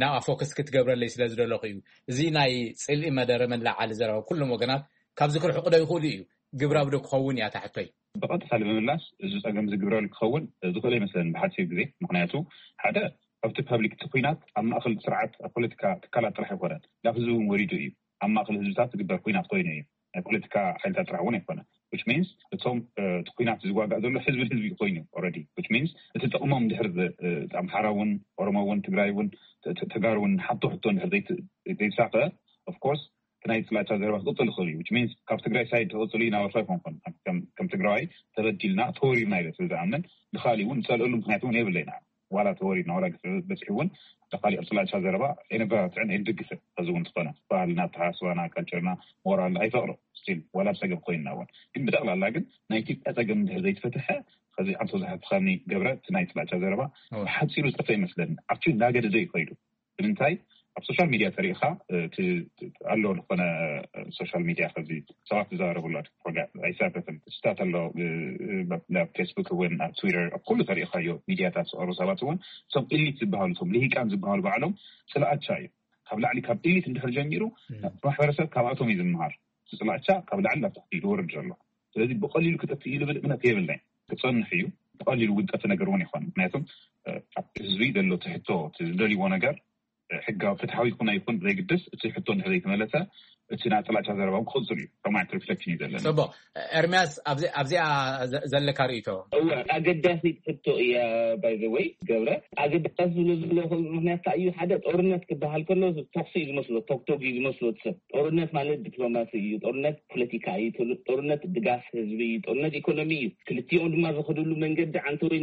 ናብኣ ፎከስ ክትገብረለይ ስለ ዝደለኹ እዩ። እዚ ናይ ፅልኢ መደረ መለዓሊ ዘረባ ኩሎም ወገናት ካብዚ ክርሕቑ ዶ ይኽእሉ እዩ? ግብራዊ ዶ ክኸውን እያ ታሕቶይ? ብቐጥታ ንምምላስ እዚ ፀገም ዝግብረሉ ክኸውን ዝኽእል ኣይመስለንን ብሓፂር ግዜ። ምክንያቱ ሓደ ኣብቲ ፐብሊክ እቲ ኩናት ኣብ ማእኸል ስርዓት ኣብ ፖለቲካ ትካላት ጥራሕ ኣይኮነን፣ ናብ ህዝቢ እውን ወሪዱ እዩ። ኣብ ማእኸል ህዝብታት ዝግበር ኩናት ኮይኑ እዩ። ናይ ፖለቲካ ሓይልታት ጥራሕ እውን ኣይኮነ። ዊች ሚንስ እቶም እቲ ኩናት ዝዋጋእ ዘሎ ህዝቢ ህዝቢ ኮይኑ ኦረዲ ዊች ሚንስ እቲ ጥቕሞም ድሕር ኣምሓራ እውን ኦሮሞ እውን ትግራይ እውን ተጋሩ እውን ሓቶ ሕቶ ድሕር ዘይተሳኸ ኦፍኮርስ ናይ ጥላቻ ዘረባ ክቕፅል ይኽእል እዩ። ዊች ሚንስ ካብ ትግራይ ሳይድ ክቕፅል እዩ ናበርካ ኣይኮንኩን። ከም ትግራዋይ ተበዲልና ተወሪርና ኢለ ስለ ዝኣምን ንካሊእ እውን ንፀልእሉ ምክንያት እውን የብለይና። ዋላ ተወሪድና ዋላ ግፍዒ በፂሑ እውን ንካሊእ ጥላቻ ዘረባ ኣይነበራትዕን ኣይንድግፍን። ከዚ እውን ዝኾነ ባህልና ኣተሓሳስባና ካልቸርና ሞራል ኣይፈቕዶ ስቲል ዋላ ፀገም ኮይንና እውን ግን ብጠቕላላ ግን ናይ ኢትዮጵያ ፀገም እንድሕር ዘይተፈትሐ ከዚ ኣንቶ ዝሓትኻኒ ገብረ እቲ ናይ ጥላቻ ዘረባ ብሓፂሩ ዝጠፈ ይመስለኒ። ኣብቲ እናገደደ እዩ ከይዱ። ንምንታይ ኣብ ሶሻል ሚድያ ተሪኢኻ ኣሎ ዝኾነ ሶሻል ሚድያ ከዚ ሰባት ዝዛረቡ ኣሎ ኣይሳተፍን ስታት ኣሎ ናብ ፌስቡክ እውን ኣብ ትዊተር ኣብ ኩሉ ተሪኢኻዮ ሚድያታት ዝቐሩ ሰባት እውን እቶም ኢሊት ዝበሃሉ እቶም ልሂቃን ዝበሃሉ ባዕሎም ስልኣቻ እዩ። ካብ ላዕሊ ካብ ኢሊት እንድሕር ጀሚሩ ማሕበረሰብ ካብኣቶም እዩ ዝምሃር። ስልኣቻ ካብ ላዕሊ ናብ ታሕቲ ዝወርድ ዘሎ ስለዚ ብቀሊሉ ክጠፍእ እዩ ልብል እምነት የብለይ። ክፀንሕ እዩ። ብቀሊሉ እውን ጠፊ ነገር እውን ይኾን ምክንያቱም ኣብ ህዝቢ ዘሎ ትሕቶ ዝደልይዎ ነገር ሕጋዊ ፍትሓዊ ይኹን ኣይኹን ዘይግድስ እቲ ሕቶ እንድሕር ዘይተመለሰ እቲ ናይ ጥላቻ ዘረባ ክቕፅል እዩ። ከምዓይነት ሪፍሌክሽን እዩ ዘለና። ፅቡቅ። ኤርሚያስ ኣብዚኣ ዘለካ ርእቶ? እወ ኣገዳሲት ሕቶ እያ። ባይ ዘ ወይ ገብረ ኣገዳሲ ዝብሎ ዘለኹ ምክንያት ከዓ እዩ ሓደ ጦርነት ክበሃል ከሎ ተኩሲ እዩ ዝመስሎ ቶክቶክ እዩ ዝመስሎ ሰብ ጦርነት ማለት ዲፕሎማሲ እዩ። ጦርነት ፖለቲካ እዩ። ጦርነት ድጋፍ ህዝቢ እዩ። ጦርነት ኢኮኖሚ እዩ። ክልቲኦም ድማ ዝኸድሉ መንገዲ ዓንተወይ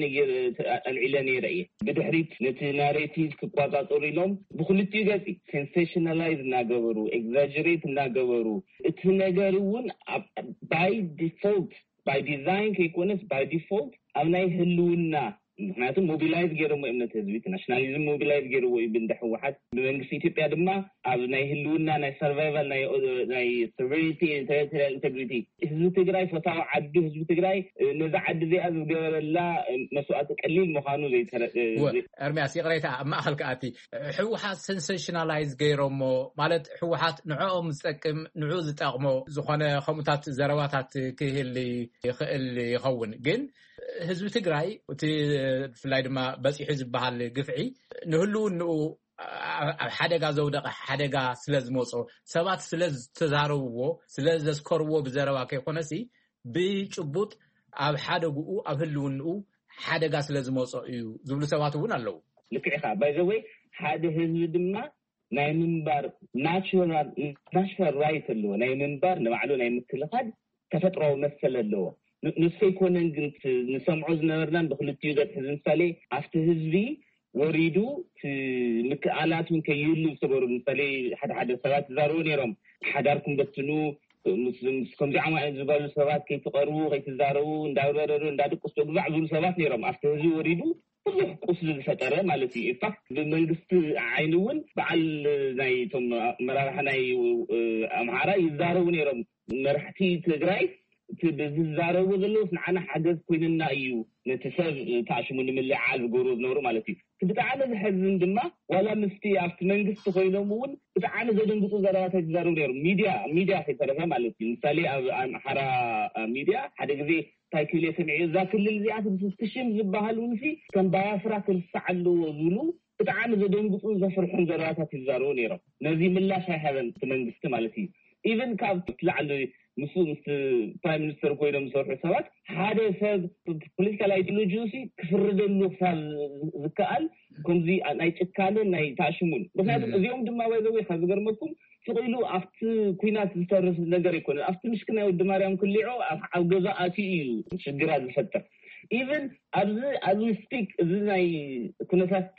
ኣልዒለ ነይረ እየ። ብድሕሪት ነቲ ናሬቲቭ ክቋፃፀሩ ኢሎም ብክልቲኡ ገፂ ሴንሴሽናላይዝ እናገበሩ ኤግዛጀሬት እናገበሩ እቲ ነገር እውን ባይ ዲፎልት ባይ ዲዛይን ከይኮነስ ባይ ዲፎልት ኣብ ናይ ህልውና ምክንያቱ ሞቢላይዝ ገይሮሞ እዮም ነቲ ህዝቢ እቲ ናሽናሊዝም ሞቢላይዝ ገይርዎ እዩ ብንደ ህወሓት ብመንግስቲ ኢትዮጵያ ድማ ኣብ ናይ ህልውና ናይ ሰርቫይቫል ናይ ሶቨሬኒቲ ቴሪቶሪያል ኢንቴግሪቲ ህዝቢ ትግራይ ፈታዊ ዓዱ ህዝቢ ትግራይ ነዛ ዓዲ እዚኣ ዝገበረላ መስዋእቲ ቀሊል ምዃኑ ዘይተረ ኤርሚያስ ይቕሬታ ኣብ ማእኸል ከኣቲ ህወሓት ሰንሴሽናላይዝ ገይሮሞ ማለት ህወሓት ንዕኦም ዝጠቅም ንዑ ዝጠቕሞ ዝኾነ ከምኡታት ዘረባታት ክህል ይኽእል ይኸውን ግን ህዝቢ ትግራይ እቲ ብፍላይ ድማ በፂሑ ዝበሃል ግፍዒ ንህልውንኡ ኣብ ሓደጋ ዘውደቐ ሓደጋ ስለ ዝመፆ ሰባት ስለ ዝተዛረብዎ ስለ ዘስከርዎ ብዘረባ ከይኮነሲ ብጭቡጥ ኣብ ሓደግኡ ኣብ ህልውንኡ ሓደጋ ስለ ዝመፆ እዩ ዝብሉ ሰባት እውን ኣለዉ። ልክዕኻ ባይዘወይ ሓደ ህዝቢ ድማ ናይ ምንባር ናቹራል ናሽናል ራይት ኣለዎ ናይ ምንባር ንባዕሉ ናይ ምክልኻል ተፈጥሮዊ መሰል ኣለዎ። ንሱ ኣይኮነን ግን ንሰምዖ ዝነበርናን ብክልቲኡ ገፅ ሕዚ ምሳሌ ኣብቲ ህዝቢ ወሪዱ ምክኣላት እውን ከይህሉ ዝተገሩ ምሳሌ ሓደ ሓደ ሰባት ይዛረቡ ነይሮም። ሓዳርኩም በትኑ ከምዚ ዓማ ዝበሉ ሰባት ከይትቀርቡ ከይትዛረቡ እንዳበረሩ እንዳድቅሱ ግዛዕ ዝብሉ ሰባት ነይሮም። ኣብቲ ህዝቢ ወሪዱ ብዙሕ ቁስሊ ዝፈጠረ ማለት እዩ። ኢንፋክት ብመንግስቲ ዓይኒ እውን በዓል ናይ ቶም መራርሒ ናይ ኣምሓራ ይዛረቡ ነይሮም። መራሕቲ ትግራይ ዝዛረቡ ዘለውስ ንዓና ሓገዝ ኮይንና እዩ ነቲ ሰብ ተኣሽሙ ንምልዓል ዝገብሩ ዝነብሩ ማለት እዩ። ብጣዕሚ ዝሕዝን ድማ ዋላ ምስቲ ኣብቲ መንግስቲ ኮይኖም እውን ብጣዕሚ ዘደንግፁ ዘረባታት ይዛረቡ ነይሮም። ሚድያ ሚድያ ከይተረፈ ማለት እዩ። ምሳሌ ኣብ ኣምሓራ ሚድያ ሓደ ግዜ እንታይ ክብል እየ ሰሚዐ እዛ ክልል እዚኣ ትሽም ዝበሃል እውን ከም ባያፍራ ክርሳዕ ኣለዎ ዝብሉ ብጣዕሚ ዘደንግፁን ዘፍርሑን ዘረባታት ይዛረቡ ነይሮም። ነዚ ምላሽ ኣይሃበን እቲ መንግስቲ ማለት እዩ። ኢቨን ካብ ላዕሊ ምስ ምስ ፕራይም ሚኒስተር ኮይኖም ዝሰርሑ ሰባት ሓደ ሰብ ፖለቲካል ኣይዲዮሎጂ ሲ ክፍርደሉ ክሳብ ዝከኣል ከምዚ ናይ ጭካንን ናይ ታሽሙን። ምክንያቱም እዚኦም ድማ ባይዘወይ ካብ ዝገርመኩም ስቕ ኢሉ ኣብቲ ኩናት ዝተርፍ ነገር ኣይኮነን። ኣብቲ ምሽክና ወዲ ማርያም ክሊዖ ኣብ ገዛ ኣትዩ እዩ ሽግራት ዝፈጥር። ኢቨን ኣብዚ ኣብዚ ስፒክ እዚ ናይ ኩነታት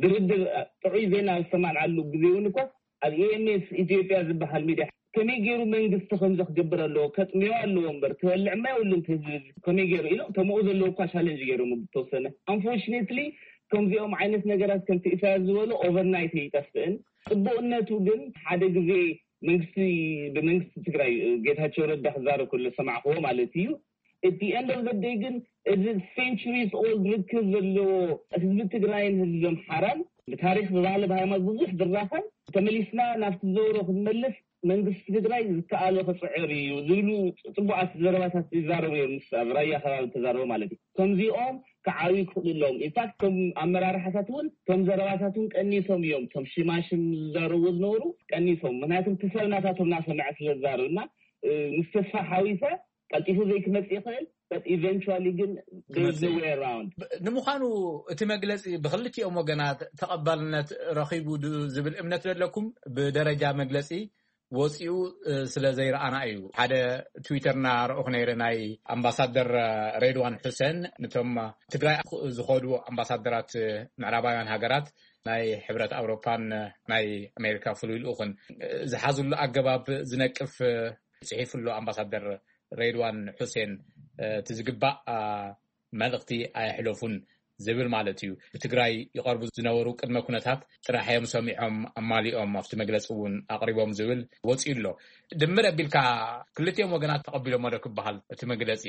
ድርድር ጥዑይ ዜና ዝሰማዕናሉ ግዜ እውን እኳ ኣብ ኤምኤስ ኢትዮጵያ ዝበሃል ሚድያ ከመይ ገይሩ መንግስቲ ከምዚ ክገብር ኣለዎ፣ ከጥምዮ ኣለዎ እምበር ክበልዕ ማ የብሉን ህዝቢ፣ ከመይ ገይሩ ኢሎም ተምኡ ዘለዎ እኳ ቻለንጅ ገይሮም ብተወሰነ። ኣንፎርችኔትሊ ከምዚኦም ዓይነት ነገራት ከምቲ ኢሳያስ ዝበሎ ኦቨርናይት ይጠፍእን። ጽቡቕነቱ ግን ሓደ ግዜ መንግስቲ ብመንግስቲ ትግራይ ጌታቸው ረዳ ክዛረብ ከሎ ሰማዕክዎ ማለት እዩ። እቲ ኤንድ ኦፍ ደይ ግን እዚ ሴንቹሪስ ኦልድ ርክብ ዘለዎ ህዝቢ ትግራይን ህዝቢ ኣምሓራን ብታሪክ ብባህሊ ብሃይማኖት ብዙሕ ዝራኸብ ተመሊስና ናብቲ ዘውሮ ክንመልስ መንግስቲ ትግራይ ዝከኣሎ ክፅዕር እዩ ዝብሉ ፅቡዓት ዘረባታት ይዛረቡ እዮም። ምስ ኣብ ራያ ከባቢ ተዛረቡ ማለት እዩ። ከምዚኦም ክዓብዩ ክኽእሉ ኣለዎም። ኢንፋክት ከም ኣመራርሓታት እውን ከም ዘረባታት እውን ቀኒሶም እዮም። ከም ሽማሽም ዝዛረቡ ዝነበሩ ቀኒሶም። ምክንያቱም እቲ ሰብ ናታቶም ናሰምዐ ስለ ዝዛረብ እና ምስ ተስፋ ሓዊሰ ቀልጢፉ ዘይክመጽእ ይኽእል። ኢቨንቹዋሊ ግን ክመጽእ እዩ። Way around። ንምዃኑ እቲ መግለፂ ብክልቲኦም ወገናት ተቐባልነት ረኺቡ ዝብል እምነት ዘለኩም? ብደረጃ መግለፂ ወፂኡ ስለ ዘይረኣና እዩ። ሓደ ትዊተር እናረእኹ ነይረ፣ ናይ ኣምባሳደር ሬድዋን ሑሰን፣ ንቶም ትግራይ ዝኸዱ ኣምባሳደራት ምዕራባውያን ሃገራት፣ ናይ ሕብረት ኣውሮፓን ናይ ኣሜሪካ ፍሉይ ልኡኽን ዝሓዝሉ ኣገባብ ዝነቅፍ ፅሒፉ ኣሎ ኣምባሳደር ሬድዋን ሑሴን። እቲ ዝግባእ መልእኽቲ ኣየሕለፉን ዝብል ማለት እዩ። ብትግራይ ይቐርቡ ዝነበሩ ቅድመ ኩነታት ጥራሕ እዮም ሰሚዖም ኣማሊኦም ኣብቲ መግለፂ እውን ኣቕሪቦም ዝብል ወፂኡ ኣሎ። ድምር ኣቢልካ ክልቲኦም ወገናት ተቐቢሎሞ ዶ ክበሃል እቲ መግለፂ?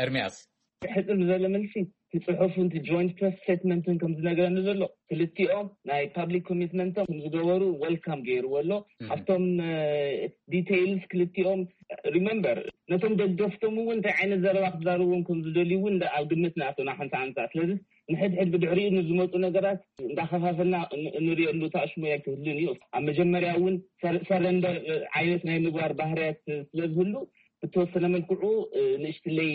ኤርሚያስ። ሕፅር ዝበለ መልሲ፣ እቲ ፅሑፍን እቲ ጆይንት ፕሬስ ስቴትመንትን ከም ዝነግረኒ ዘሎ ክልቲኦም ናይ ፓብሊክ ኮሚትመንቶም ከም ዝገበሩ ወልካም ገይርዎ ኣሎ። ኣብቶም ዲቴይልስ ክልቲኦም ሪመምበር ነቶም ደገፍቶም እውን እንታይ ዓይነት ዘረባ ክዛረብዎም ከም ዝደልዩ እውን ኣብ ግምት ንኣቶ ናሓንሳ ሓንሳ። ስለዚ ንሕድሕድ ብድሕሪኡ ንዝመፁ ነገራት እንዳኸፋፈልና እንሪእሉ ታሽሙ ኣይክህልን እዩ። ኣብ መጀመርያ እውን ሰረንደር ዓይነት ናይ ምግባር ባህርያት ስለዝህሉ ብተወሰነ መልክዑ ንእሽትለይ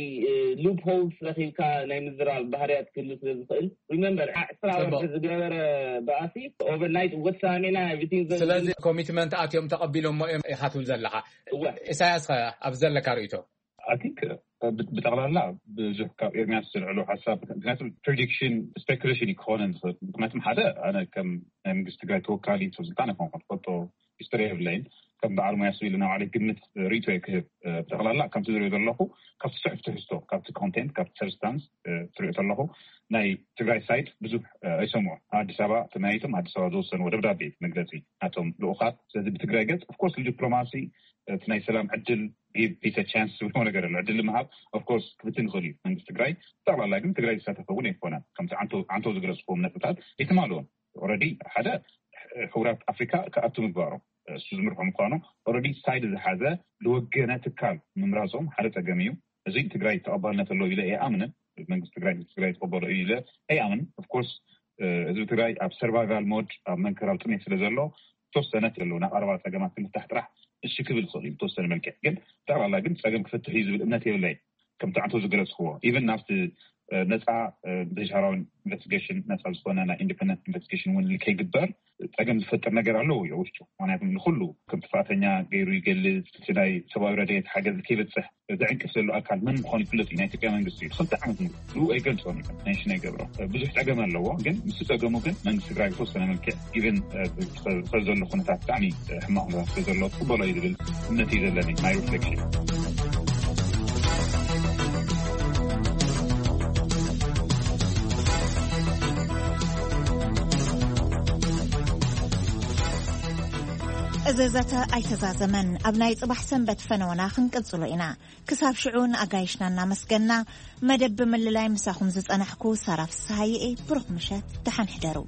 ሉፕ ሆልስ ረኪብካ ናይ ምዝራብ ባህርያት ክህሉ ስለዝኽእል። ሪመምበር ዕስራ ወርሒ ዝገበረ በኣሲ ኦቨርናይት ወሳሚና ኤቭሪቲንግ። ስለዚ ኮሚትመንት ኣትዮም ተቐቢሎሞ እዮም ኢኻ ትብል ዘለኻ። እወ። ኢሳያስ ኸ ኣብ ዘለካ ርእይቶ? ኣይ ቲንክ ብጠቕላላ ብዙሕ ካብ ኤርሚያስ ዝልዕሉ ሓሳብ ምክንያቱ ፕሬዲክሽን ስፔኩሌሽን ክኾነን ዝኽእል። ምክንያቱም ሓደ ኣነ ከም ናይ መንግስቲ ትግራይ ተወካሊ ስልጣን ኣይኮንኩን፣ ፈልጦ ሂስትሪ የብለይን። ከም በዓል ሞያ ስቢል ናባዕለይ ግምት ርእይቶ ክህብ። ብጠቕላላ ከምቲ ዝሪኦ ዘለኹ ካብቲ ስሑፍ ትሕዝቶ፣ ካብቲ ኮንቴንት፣ ካብቲ ሰብስታንስ ትሪኦ ዘለኹ ናይ ትግራይ ሳይድ ብዙሕ ኣይሰምዑ። ኣዲስ ኣበባ ተመያይቶም ኣዲስ ኣበባ ዝወሰንዎ ደብዳቤ መግለፂ ናቶም ልኡኻት። ስለዚ ብትግራይ ገፅ ኦፍኮርስ ንዲፕሎማሲ እቲ ናይ ሰላም ዕድል ጊቭ ፒስ ቻንስ ዝብሎ ነገር ኣሎ። ዕድል ምሃብ ኦፍኮርስ ክፍትን ይኽእል እዩ። መንግስቲ ትግራይ ብጠቕላላ ግን ትግራይ ዝሳተፈ እውን ኣይኮነን። ከምቲ ዓንቶ ዝገለፅኩም ነጥብታት ይትማልዎም። ኦረዲ ሓደ ሕቡራት ኣፍሪካ ክኣቱ ምግባሮም እሱ ዝምርሖ ምኳኑ ኦረዲ ሳይድ ዝሓዘ ዝወገነ ትካል ምምራፆም ሓደ ፀገም እዩ። እዚ ትግራይ ተቐባልነት ኣለዎ ኢለ ኣይኣምንን። መንግስቲ ትግራይ ትግራይ ተቐበሎ እዩ ኢለ ኣይኣምንን። ኦፍኮርስ ህዝቢ ትግራይ ኣብ ሰርቫይቫል ሞድ ኣብ መንከራል ጥሜት ስለ ዘሎ ተወሰነ ኣለዎ ናብ ኣረባ ፀገማት ክልታሕ ጥራሕ እሺ ክብል ይኽእል እዩ ተወሰነ መልክዕ። ግን ጠቕላላ ግን ፀገም ክፈትሕ እዩ ዝብል እምነት የብለይ። ከምቲ ዓንቶ ዝገለፅክዎ ኢቨን ናብቲ ነፃ ብሻራዊ ኢንቨስቲጌሽን ነፃ ዝኾነ ናይ ኢንዲፐንደንት ኢንቨስቲጌሽን እውን ከይግበር ፀገም ዝፈጥር ነገር ኣለዎ እዩ ውሽጡ። ምክንያቱም ንኩሉ ከም ጥፋተኛ ገይሩ ይገልፅ። እቲ ናይ ሰብኣዊ ረድኤት ሓገዝ ከይበፅሕ ዘዕንቅፍ ዘሎ ኣካል መን ምዃኑ ይፍለጥ እዩ። ናይ ኢትዮጵያ መንግስቲ እዩ። ክልተ ዓመት ንኡ ኣይገልፆን እዩ። ሜንሽን ኣይገብሮ ብዙሕ ፀገም ኣለዎ። ግን ምስ ፀገሙ ግን መንግስቲ ትግራይ ብተወሰነ መልክዕ ኢቨን ዘሎ ኩነታት ብጣዕሚ ሕማቕ ኩነታት ስለ ዘሎ ክበሎ እዩ ዝብል እምነት እዩ ዘለኒ ናይ ሪፍሌክሽን። እዚ ዘተ ኣይተዛዘመን። ኣብ ናይ ጽባሕ ሰንበት ፈነወና ክንቅጽሎ ኢና። ክሳብ ሽዑ ንኣጋይሽና እናመስገና መደብ ብምልላይ ምሳኹም ዝጸናሕኩ ሳራ ፍስሃየ እየ። ብሩኽ ምሸት፣ ደሓን ሕደሩ።